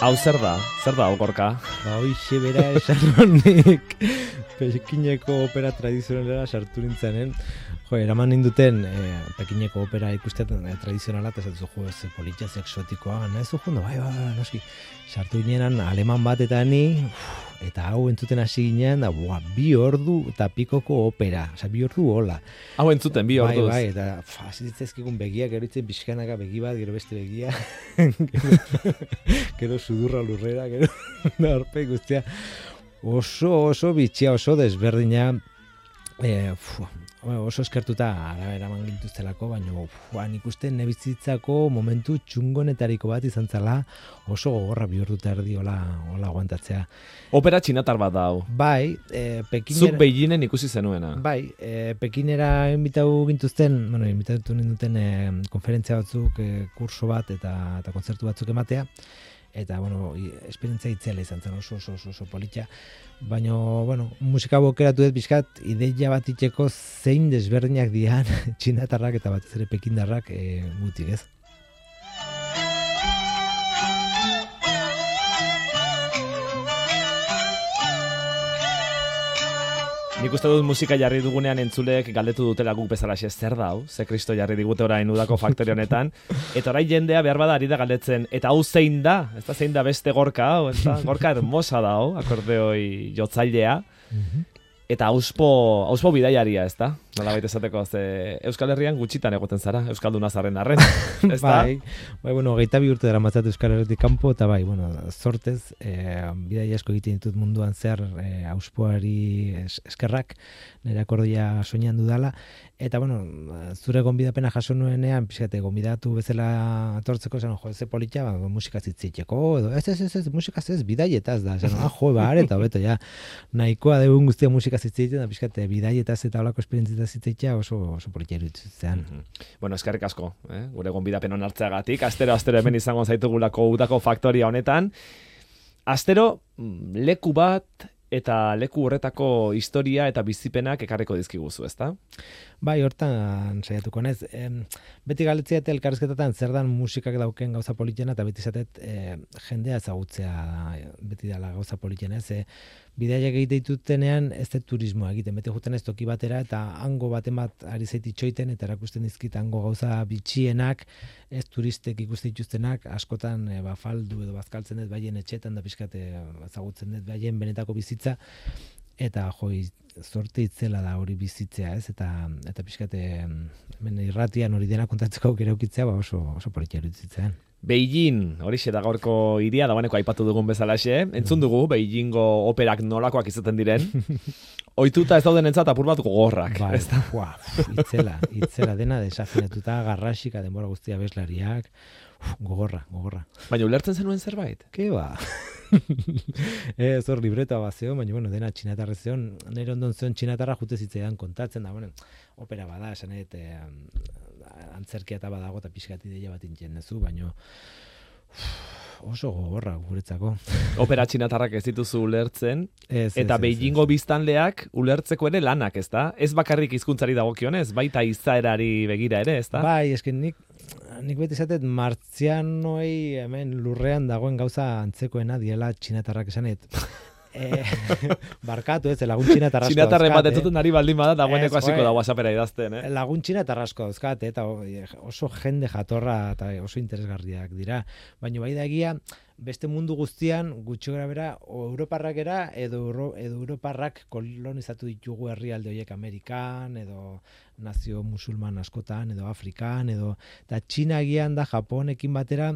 Hau zer da? Zer da, Gorka? Hoixe bera esan honik Pekineko opera tradizionalera sartu nintzanen. Jo, eraman ninduten Pekineko opera ikusten tradizionala, eta zatu jo, ez politxaz exotikoa, nahizu jo, bai, noski. Sartu ginenan aleman bat eta ni, eta hau entzuten hasi ginean, da, 2 ordu eta pikoko opera, oza, 2 ordu hola. Hau entzuten, 2 orduz. Bai, eta zitzezkikun begiak, gero itzen pixkanaka begi bat, gero beste begia, gero sudurra lurrera, gero narpe guztia. Oso bitxia, oso desberdina, oso eskertuta eraman gintuztelako, baina nik uste nebizitzako momentu txungonetariko bat izan zela, oso gogorra 2 ordu eta erdi hola aguantatzea. Opera txinatar bat da hau. Bai, Pekinera... Zuk Beijingen ikusi zenuena. Bai, Pekinera invitatu ninduten konferentzia batzuk, kurso bat eta kontzertu batzuk ematea. Eta, esperientzia itzela izan zen oso politxa. Baina, musika bokeratu dut bizkat, ideia bat itxeko zein desberdinak dian txinatarrak eta batez ere pekindarrak gutik, ez? Nik uste dut musika jarri dugunean entzuleek galdetu dutela guk bezalaxe zer da hau, ze Kristo jarri digute orain udako faktore honetan, eta orain jendea behar bada ari da galdetzen, eta hau zein da? Ez da zein da beste Gorka hau, ez da? Gorka hermosa da hau, akordeoi jotzailea, eta auspo bidaiaria, ez da? Nola baita esateko, ze Euskal Herrian gutxitan egoten zara, Euskalduna zarren arren, ez da? Bai, 22 urte dara matzat Euskal Herritik kanpo, eta bai, zortez, bidaia asko egiten ditut munduan zer auspoari eskerrak, nire akordia soinean dudala, eta zure gonbidapena jaso nuenean, pixkate, gonbidatu bezala atortzeko, ze politxa, musikaz hitzitzeko, edo, ez, musikaz ez, bidaietaz da, eta hobeto, ja, nahikoa deun guztia musikaz hitzitzen, da pixkate, bidaietaz eta holako esperientzitaz hitzitzea oso politxa iruditzean. Eskerrik asko, gure gonbidapen onartzeagatik, astero hemen izango zaitugulako udako faktoria honetan, astero leku bat, eta leku horretako historia eta bizipenak ekarriko dizkiguzu, ezta? Bai, hortan saiatuko nez. Beti galetzea elkarrizketatan zer dan musikak dauken gauza politena, eta beti zatet jendea ezagutzea beti dela gauza politena, ez? Bidaiak egite ditutenean ez da turismoa egiten, beti juten ez toki batera, eta hango baten bat ari zaiti txoiten, eta erakusten dizkit hango gauza bitxienak, ez turistek ikusten dituztenak, askotan faldu edo bazkaltzen dut baien etxetan, da pixkat ezagutzen dut baien benetako bizitza, eta zorte itzela da hori bizitzea, ez? Eta pixkate hemen irratian hori dena kontatzeko aukera ukitzea, oso politxa iruditzean. Beijing, horixe da gaurko hiria, dagoeneko aipatu dugun bezalaxe, entzun dugu Beijingo operak nolakoak izaten diren, ohituta ez dauden entzat apur bat gogorrak. Bai, itzela dena desafinatuta, garrasika, denbora guztia bezlariak, gogorra. Baina ulertzen zenuen zerbait? Ke ba? Hor libreta bat zeon, baina dena txinatarra zeon, nire ondon zeon txinatarra jute zitzaidan kontatzen da, opera bada, esan antzerkia eta badago eta pixkat ideia bat intzen nezu, baina oso gogorra guretzako. Opera txinatarrak ez dituzu ulertzen, eta Beijingo biztanleak ulertzeko ere lanak, ez da? Ez bakarrik hizkuntzari dagokionez, baita izaerari begira ere, ez da? Bai, esken nik beti zatet martzianoi hemen lurrean dagoen gauza antzekoena diela txinatarrak esanet. Barkatu ez, lagun txinatarrasko dauzkat. Txinatarren bat ez duten ari baldin bada, dagoeneko hasiko da WhatsAppera idazten, Lagun txinatarrasko dauzkat, eta oso jende jatorra eta oso interesgarriak dira. Baina bai da egia, beste mundu guztian, gutxo gara bera, o Europarrak era, edo Europarrak kolonizatu ditugu herrialde horiek Amerikan, edo nazio musulman askotan, edo Afrikan, eta Txina egian da Japonekin batera,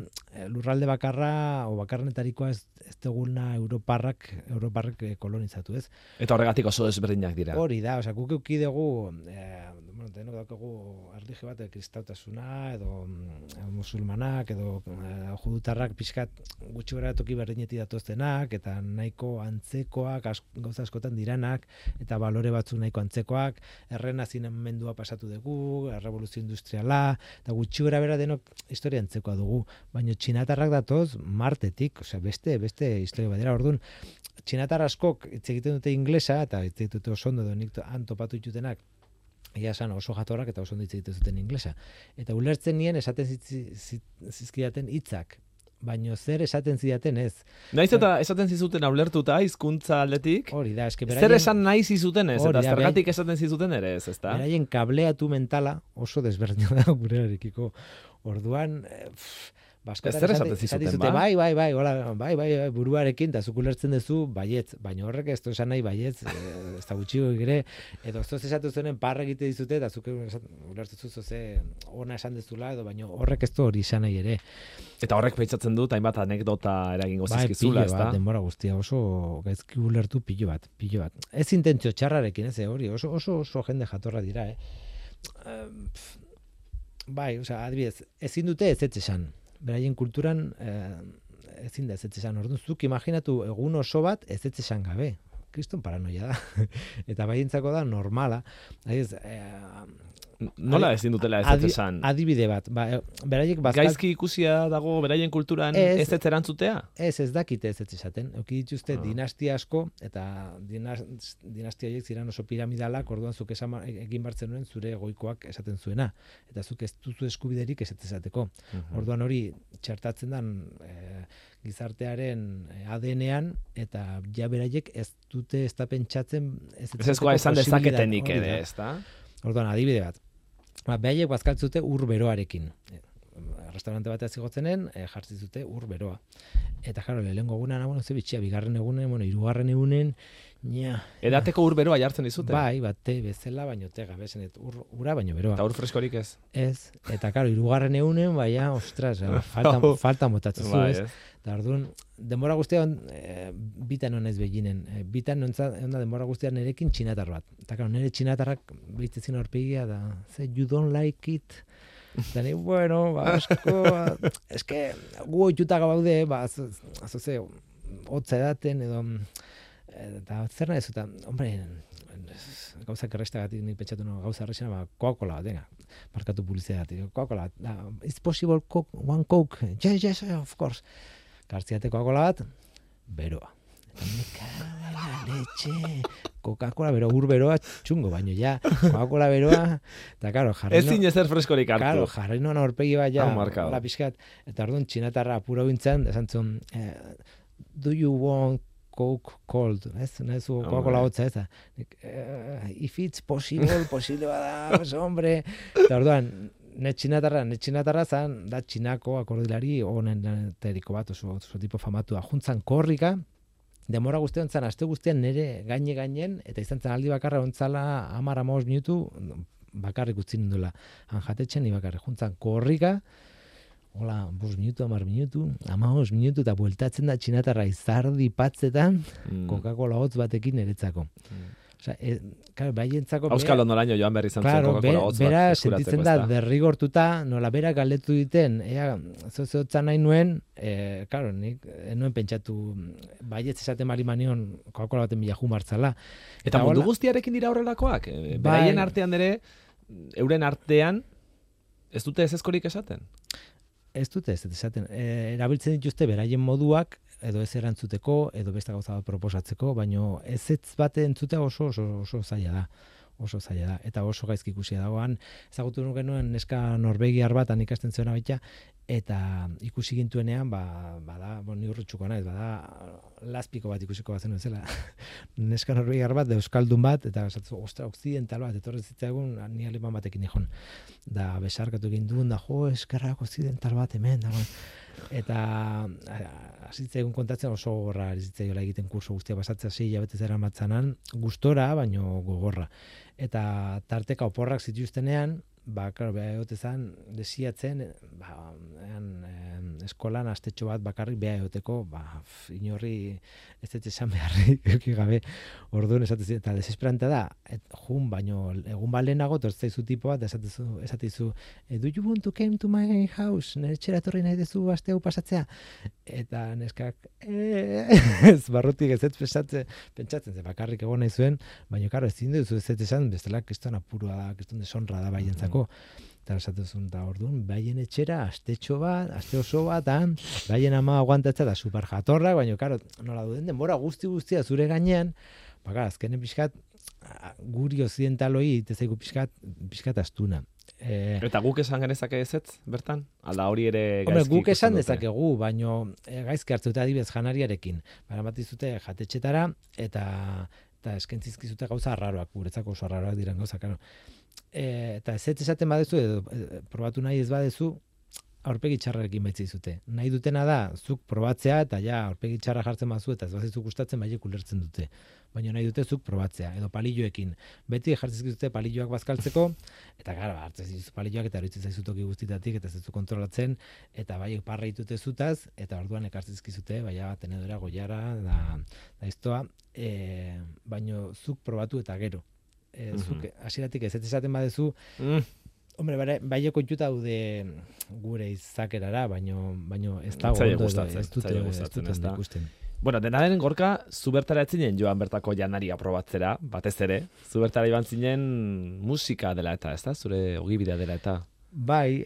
lurralde bakarra, o bakarrenetarikoa ez duguna Europarrak kolonizatu, ez? Eta horregatik oso desberdinak dira. Hori da, guk euki dugu, denok daukagu erlijio bat, kristautasuna, edo musulmanak, edo judutarrak pixkat gutxi gara toki berdinetik datoztenak, eta nahiko antzekoak, gauza askotan diranak, eta balore batzuk nahiko antzekoak, errenazimendua pasatu dugu, revoluzio industriala, eta gutxi gara bera denok historia antzekoa dugu, baina txinatarrak datoz Martetik, beste historia badera, orduan, txinatar askok hitz egiten dute inglesa, eta hitz egiten dute oso ondo edo nik topatu ditutenak, ia esan oso jatorrak eta oso ondo hitz egiten zuten inglesa. Eta ulertzen nien esaten zizkidaten hitzak baino zer esaten zidaten ez. Naiz eta esaten zizuten ulertuta hizkuntza aldetik. Hori da, eske Zer esan nahi zizuten ez, eta da, zergatik esaten zizuten ere ez, ezta? Beraien kableatu mentala oso desberdina da gurearekiko. Orduan, Zer esaten zizuten, ba? Bai, buruarekin, eta zuk ulertzen duzu, baietz, baina horrek ez du esan nahi baietz, ez da gutxiko ere, edo ez esatu zenen parra egite dizute, eta zuk ulertzen zu ze ona esan dezula, edo baina horrek ez du hori esan nahi ere. Eta horrek pentsatzen dut, hainbat anekdota eragingo zizkizula, ez da? Denbora guztia, oso gaizki ulertu pilo bat. Ez intentzio txarrarekin, ez, hori, oso jende jatorra dira, Bai, adibidez, ezin dute ez esan. Beraien kulturan ezin da ez esan. Orduan, zuk imaginatu egun oso bat ez esan gabe. Kriston paranoia da. Eta baientzako da normala. Nola ezin dutela ez esan? Adibide bat. Beraiek gaizki ikusia dago beraien kulturan ez erantzutea? Ez dakite ez esaten. Euki dituzte dinastia asko, eta dinastia horiek ziren oso piramidalak, orduan zuk egin bartzen nuen zure goikoak esaten zuena. Eta zuk ez duzu eskubiderik ez esateko. Orduan hori txertatzen dan gizartearen ADN-ean, eta ja beraiek ez dute ez da pentsatzen ez esan dezaketenik ere, ez da? Orduan, adibide bat. Behaiek bazkaltzute ur beroarekin. Restaurante batean zigotzenen, jartzi zute ur beroa. Eta jaro, lehengo egunan, ze bitxia, bigarren egunen, hirugarren egunen, Edateko ur beroa jartzen dizute? Bai, te bezala, baino tega, bezenet, ura baino beroa. Eta ur freskorik ez? Ez, eta karo, hirugarren egunen, baina, ostras, falta motatzen zu, ez? Eta orduan, denbora guztian, bitan honez beginen. Bitan honda denbora guztian nerekin txinatar bat. Eta karo, nire txinatarrak behitzezin horpegia da, you don't like it. Eta ni, bueno, asko, eske, gu oituta gaude, azoze, hotza edaten, edo, eta zer nahi zuta, hombre, gauzak errestagatik nik pentsatu gauza errexena, Coca-Cola, venga, markatu publizitatea, Coca-Cola, it's possible one Coke, yes, of course. Kartziate Coca-Cola bat, beroa. Leche, Coca-Cola beroa, ur beroa, txungo, baino ja, Coca-Cola beroa, eta karo, jarri ez zinezer freskorik hartu. Karo, jarri noan horpegi bat ja, hola pixkat, eta orduan txinatarra apura bintzen, esan zuen, do you want Coke cold, ez? Nahizu Coca-Cola hotza, ez da? If it's possible bada, pues, hombre. Eta orduan, ne txinatarra zan, da txinako akordilari honen teriko bat, oso tipo famatua. Juntzan korrika, demora guztian zan, aste guztian nire gainen, eta izan zen aldi bakarra ontzala 10-15 minutu, bakarrik utzin nindula. Han jatetxen, ni bakarrik. Juntzan korrika, hola, 5 minutu, 10 minutu, 15 minutu, eta bueltatzen da txinatarra izardi patzetan, Coca-Cola hotz batekin eretzako. Osea, claro, baientzako Auskalo noraino joan berri izan zen Coca-Cola hotz bat. Bera sentitzen da derrigortuta, nola bera galdetu diten, hotza nahi nuen, claro, nik nuen pentsatu baietz esaten marimanion Coca-Cola baten bila jumartzala. Eta mundu guztiarekin dira horrelakoak? Beraien artean ere, euren artean, ez dute ez eskorik esaten? Ez dute ez esaten. Erabiltzen dituzte beraien moduak, edo ez erantzuteko, edo beste gauza bat proposatzeko, baino ez bat entzutea oso zaila da. Oso zaila da. Eta oso gaizki ikusia dagoan. Ezagutu genuen neska norvegiar bat, ikasten zuena baita, eta ikusi gintuenean, bada, ni urrutxuko naiz, bada, lazpiko bat ikusiko bat zen bezala. Neska norvegiar bat, euskaldun bat, eta ostra, occidental bat, etorri zitzaigun, ni aleman batekin ikon. Da, besarkatu egin duen, da, eskerrak occidental bat hemen, da, eta zitzaigun kontatzen oso gogorra zitzaiola egiten kurso guztia pasatzea 6 hilabete zera matzanan, gustora, baino gogorra. Eta tarteka oporrak zituztenean, klaro, beha egotezan, desiatzen, eskolan astetxo bat bakarrik beha egoteko, inorri ez dut esan beharrik gabe, orduan esatezu, eta desesperante da, baino egun balenago, torzaizu tipo bat, esatezu, do you want to come to my house? Nere txera torri nahi dezu aste hau pasatzea? Eta neskak, ez barrutik ez pentsatzen, ze bakarrik egon nahi zuen, baina karo, ez zindu ez esan, bestela kriston apurua da, kriston desonra da baientzako. Eta esatuzun da orduan, baien etxera, aste oso bat, baien ama aguantatzea da super jatorrak, baina, karo, nola duden denbora guztia zure gainean, azkenen pixkat, guri occidentaloi, itezaigu pixkat astuna. Eta guk esan genezake ezetz, bertan? Ala hori ere gaizki Hombre, guk esan ikusten dute? dezakegu, baino gaizki hartzuta adibidez janariarekin. Baramatizute jatetxetara eta eskentzizkizute gauza arraroak, guretzako oso arraroak diren gauza, claro. Eta ez esaten badezu, edo probatu nahi ez badezu, aurpegi txarrarekin baitzizute. Nahi dutena da, zuk probatzea, eta ja, aurpegi txarra jartzen bazu, eta ez bazizuk gustatzen, baiek ulertzen dute. Baina nahi dute zuk probatzea, edo palilloekin. Beti jartzizkizute palilloak bazkaltzeko, eta gara, hartzen zizu palilloak, eta horitzen zaizutoki guztitatik, eta ez zu kontrolatzen, eta baiek parra ditute zutaz, eta orduan ekartzizkizute, baina tenedora, goiara, da iztoa, baino zuk probatu eta gero. Zuk hasieratik ez esaten badezu, hombre, bai kontuta daude gure izakerara, baino ez dago ondo, ez dute ikusten. Bueno, dena den Gorka, zu bertara etzinen joan bertako janaria probatzera, batez ere. Zu bertara iban zinen musika dela eta, ez da? Zure ogibidea dela eta. Bai,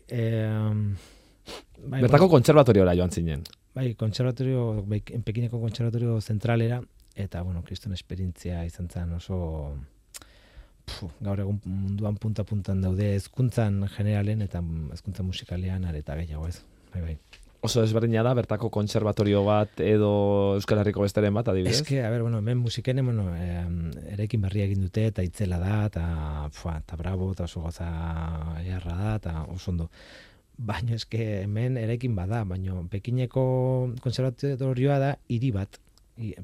bertako kontserbatoriora joan zinen. Bai, Pekineko kontserbatorio zentralera, eta, bueno, kriston esperientzia izan zen oso... gaur egun munduan punta-puntan daude hezkuntzan generalen eta hezkuntza musikalean areta gehiago ez. Bai. Oso desberdina da, bertako kontserbatorio bat edo Euskal Herriko besteren bat, adibidez? Eske, hemen musiken, eraikin berria egin dute, eta itzela da, eta bravo, eta oso goza eharra da, eta oso ondo. Baina eske, hemen eraikin bada, baina Pekineko kontserbatorioa da hiri bat.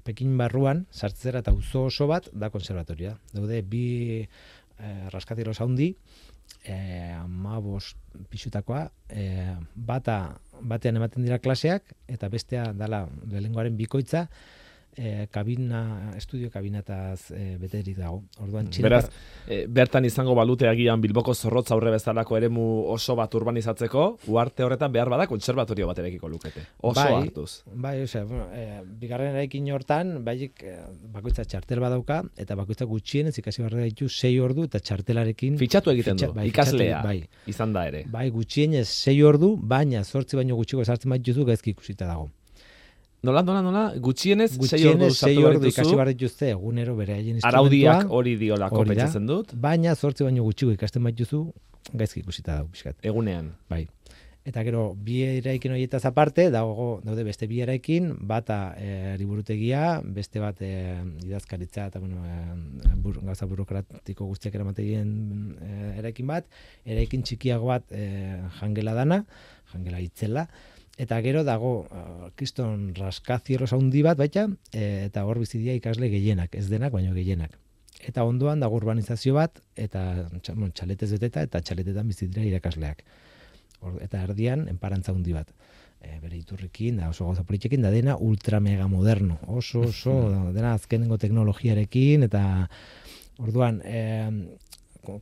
Pekin barruan, sartzera eta auzo oso bat da kontserbatorioa. Daude, bi raskatiros handi, 15 pixutakoa, batean ematen dira klaseak, eta bestea dala lehengoaren bikoitza, estudio kabinataz beterik dago. Orduan, beraz, bertan izango balute agian Bilboko Zorrotza aurre bezalako eremu oso bat urbanizatzeko, uarte horretan behar bada kontserbatorio bat erekiko lukete. Oso hartuz. Bai, bigarren eraikin hortan, bakoitza txartel badauka, eta bakoitza gutxienez ikasi barra ditu 6 ordu, eta txartelarekin... Fitxatu egiten du, ikaslea, izan da ere. Bai, gutxienez 6 ordu, baina 8 baino gutxiko sartzen baituzu gaizki ikusita dago. Nola, gutxienez 6 ordu ikasi behar dituzte egunero bere haien instrumentua. Araudiak hori diolako pentsatzen dut. Baina 8 baino gutxiko ikasten baituzu gaizki ikusita dago pixkat. Egunean. Bai. Eta gero, bi eraikin horietaz aparte, daude beste bi eraikin, bata liburutegia, beste bat idazkaritza eta gauza burokratiko guztiak eramategien eraikin bat, eraikin txikiago bat jangela dana, jangela itzela, eta gero dago kriston raskazieros handi bat baita, eta hor bizidia ikasle gehienak, ez denak, baino gehienak. Eta ondoan dago urbanizazio bat, eta txaletez beteta, eta txaletetan bizidira irakasleak. Eta erdian, enparantza handi bat. Bere iturrikin, da oso gauza politxekin, da dena ultra mega moderno. Oso, dena azkenengo teknologiarekin, eta orduan,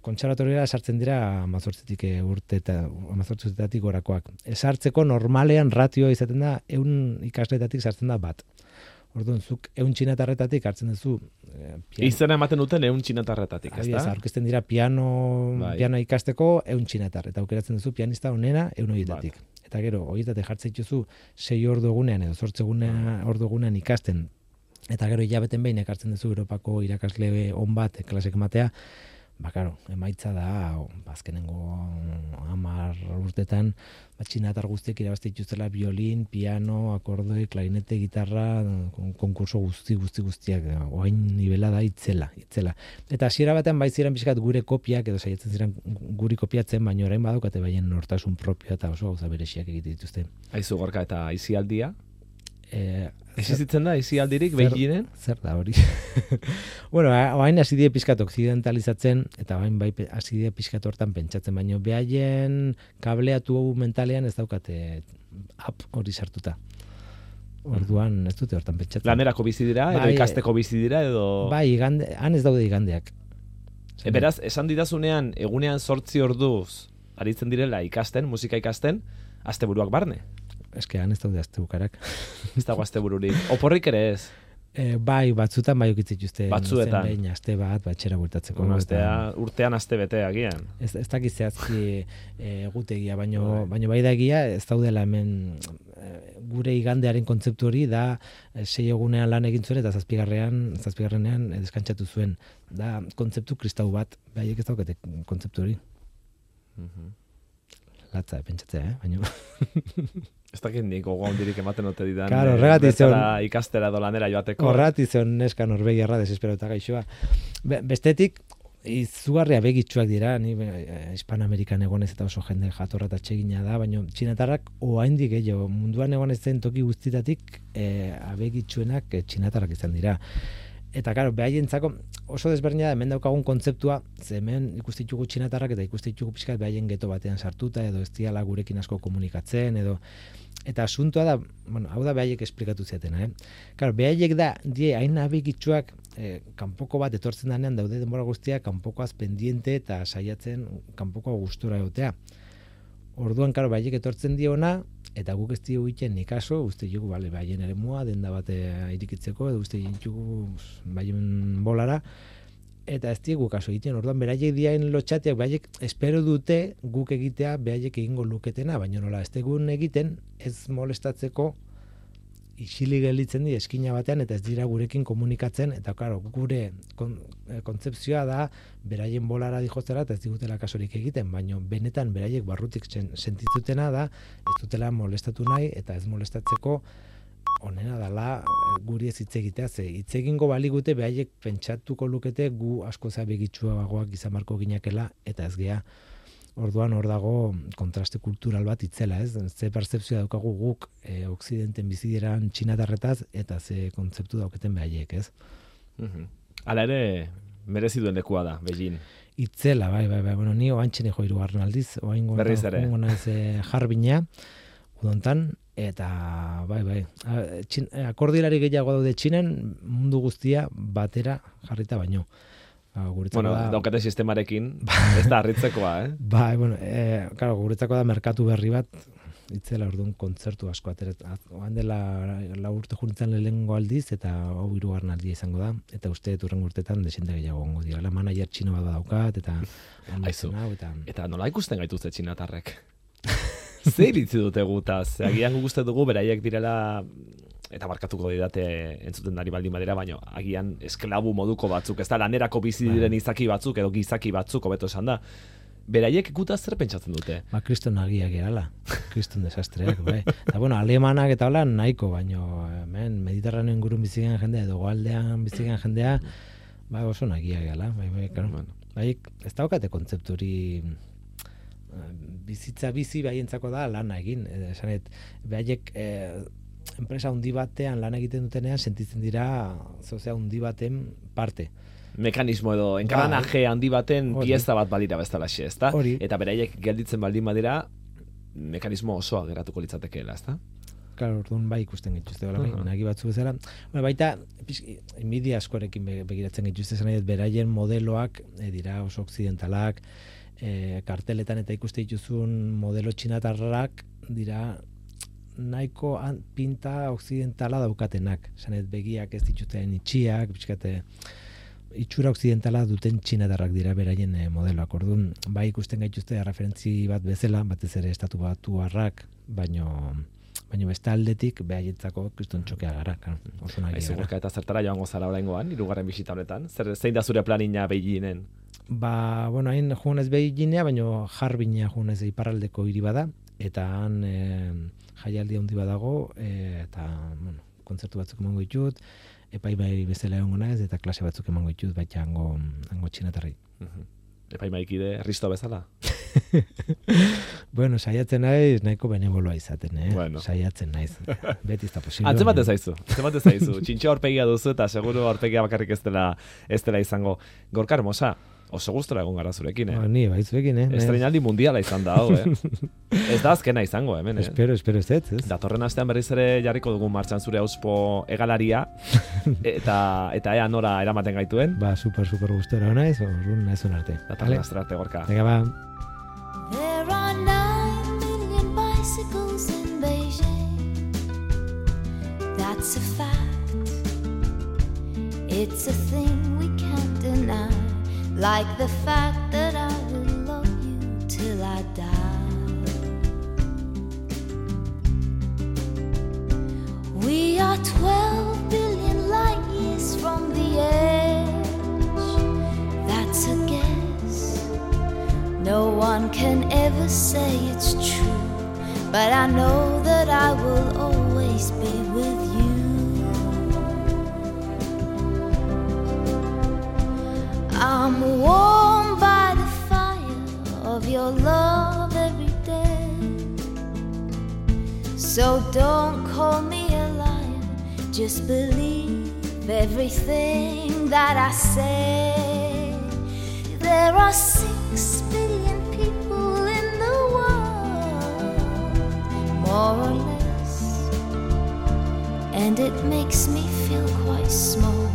kontserbatoriora sartzen dira 18 urtetatik gorakoak. Sartzeko normalean ratioa izaten da 100 ikasletatik sartzen da bat. Orduan, zuk 100 txinatarretatik hartzen duzu... Izena ematen duten 100 txinatarretatik, ez da? Aurkezten dira piano ikasteko 100 txinatar, eta aukeratzen duzu pianista onena 100 horietatik. Eta gero, horietatik jartzen dituzu 6 ordu egunean edo 8 ordu egunean ikasten, eta gero hilabeten behin ekartzen duzu Europako irakasle on bat klasek ematea, karo, emaitza da, azkenengo 10 urtetan, txinatar guztiek irabazte dituztela violin, piano, akordoi, klarinete, gitarra, konkurso guztiak, oain nivela da itzela. Eta hasiera batean bai ziren pixkat gure kopiak, edo saiatzen ziren guri kopiatzen, baina orain badaukate baien nortasun propioa eta oso gauza bereziak egite dituzte. Aizu Gorka, eta aisialdia? Existitzen da, aisialdirik behinen? Zer da hori? Bueno, hain hasi die pixkat okzidentalizatzen, eta hain bai hasi die pixkat hortan pentsatzen, baino behaien kableatu mentalean ez daukate app hori sartuta. Orduan ez dute hortan pentsatzen. Lanerako bizi dira, edo ikasteko bizi dira, edo... Bai, han ez daude igandeak. Beraz, esan didazunean, egunean 8 orduz aritzen direla ikasten, musika ikasten, asteburuak barne. Eske han ez daude astebukarak. Ez dago astebururik. Oporrik ere ez? Bai, batzutan bai okitzik uste. Batzuetan. Behin aste bat, batxera bueltatzeko. Urtean aste bete agian. Ez dakiz zehazki egutegia, baino bai da egia, ez daudela hemen gure igandearen kontzeptu hori da 6 egunean lan egin zuen eta zazpigarrenean deskantzatu zuen. Da kontzeptu kristau bat, baiek ez daukate kontzeptu hori. Latza, pentsatzea, baina... Ez dakit nik gogoa hondirik ematen ote didan. Claro, horregatik ikastera do lanera joateko. Horregatik zion neska Norvegiarra desesperota gaixoa. Bestetik, izugarria begitsuak dira, ni Hispanoamerikan egonez eta oso jende jatorra eta txegina da, baina txinatarrak oraindik gehiago munduan egonez zen toki guztitatik abegitsuenak txinatarrak izan dira. Eta claro, behaientzako oso desberdina da hemen daukagun kontzeptua, ze hemen ikusten ditugu txinatarrak eta ikusten ditugu pixkat behaien geto batean sartuta edo ez diala gurekin asko komunikatzen edo eta asuntoa da, bueno, hau da behaiek esplikatu ziatena, Claro, behaiek da die hain abegitsuak kanpoko bat etortzen denean daude denbora guztia kanpokoaz pendiente eta saiatzen kanpoko gustura egotea. Orduan, claro, behaiek etortzen diona eta guk ez diogu egiten ni kaso, uste dugu, bale, behaien eremua, denda bat irikitzeko, edo uste dugu behaien bolara, eta ez diogu kaso egiten. Orduan, beraiek diain lotxateak, behaiek espero dute guk egitea behaiek egingo luketena, baina nola, ez degun egiten, ez molestatzeko isilik gelditzen di eskina batean eta ez dira gurekin komunikatzen eta claro, gure kontzepzioa da beraien bolara dijoztera eta ez digutela kasorik egiten, baina benetan beraiek barrutik sentitzutena da ez dutela molestatu nahi eta ez molestatzeko onena dala guri ez hitz egitea, ze hitz egingo baligute beraiek pentsatuko lukete gu asko begitsuagoak izan barko ginakela eta ez gea. Orduan hor dago kontraste kultural bat itzela, ez? Ze pertzepzioa daukagu guk Okzidenten bizi diran txinatarretaz eta ze kontzeptu dauketen behaiek, ez? Hala ere, merezi duen lekua da, Beijing. Itzela, bai. Bueno, ni oantxene jo 3. aldiz, berriz ere. Jarbina, udontan, eta bai. Akordilari gehiago daude Txinan, mundu guztia batera jarrita baino. Bueno, daukate sistemarekin, ez da harritzekoa, Bai, bueno, claro, guretzako da merkatu berri bat, itzela orduan kontzertu asko ateret. Oan dela 4 urte junitzen lehengo aldiz, eta hau 3. aldia izango da, eta uste hurrengo urtetan desente gehiago gongo dira. La manager txino bat daukat, eta... Aizu, eta nola ikusten gaituzte txinatarrek? Zer iritzi dute gutaz? Agian guk uste dugu beraiek direla... eta markatuko didate entzuten dari baldin badira, baina agian esklabu moduko batzuk, ez da lanerako bizi diren izaki batzuk edo gizaki batzuk, hobeto esan da. Beraiek gutaz zer pentsatzen dute? Kriston argiak erala, kriston desastreak, bai. Eta bueno, alemanak eta hola nahiko, baina hemen Mediterraneo ingurun bizigen jendea edo goaldean bizigen jendea, bai oso nagiak erala, bai, claro. Bai, ez daukate kontzepturi bizitza bizi baientzako da lana egin, esanet, behaiek enpresa handi batean lan egiten dutenean sentitzen dira zozea handi baten parte. Mekanismo edo enkaranaje handi baten pieza bat badira bezalaxe, ezta? Eta beraiek gelditzen baldin badira mekanismo osoa geratuko litzatekeela, ezta? Claro, orduan bai ikusten gituzte nagi batzu bezala. Baita media askorekin begiratzen gituzte zen beraien modeloak dira oso okzidentalak, karteletan eta ikuste dituzun modelo txinatarrak dira nahiko pinta okzidentala daukatenak. Zanet begiak ez dituzten itxiak, pixkate itxura okzidentala duten txinatarrak dira beraien modeloak. Orduan, bai ikusten gaituzte referentzi bat bezala, batez ere estatu batuarrak, baino beste aldetik behaientzako kriston txokea gara. Oso nahi gara. Gorka eta zertara joango zara oraingoan, 3. bisita honetan? Zein da zure planina Beijingen? Bueno, hain joanez Beijingea, baino Jarbina joanez iparraldeko hiri bada, eta han jaialdi handi badago, eta bueno, kontzertu batzuk emango ditut, epaibai bezala egongo naiz, eta klase batzuk emango ditut, baita hango txinatarri. Epaimaikide Risto bezala? Bueno, saiatzen naiz, nahiko beneboloa izaten, Bueno. Saiatzen naiz. Beti ez da posible. Antzemate zaizu. Txintxo aurpegia duzu, eta seguru aurpegia bakarrik ez dela izango. Gorka Hermosa, oso gustora egon gara zurekin, Ni, bai zurekin, Estreinaldi mundiala izan da, hau, Ez da azkena izango, hemen, Espero ez. Datorren astean berriz ere jarriko dugun martxan zure auspo egalaria, eta ea nora eramaten gaituen. Super gustora naiz, orrun naizun arte. Datorren astra arte, Gorka. Venga, ba. There are 9 million bicycles in Beijing. That's a fact. It's a thing we can't deny. Like the fact that I will love you till I die. We are 12 billion light years from the edge. That's a guess. No one one can ever say it's true, but I know that I will always be with you. I'm warmed by the fire of your love every day, so don't call me a liar, just believe everything that I say. There are 6 billion people in the world, more or less, and it makes me feel quite small.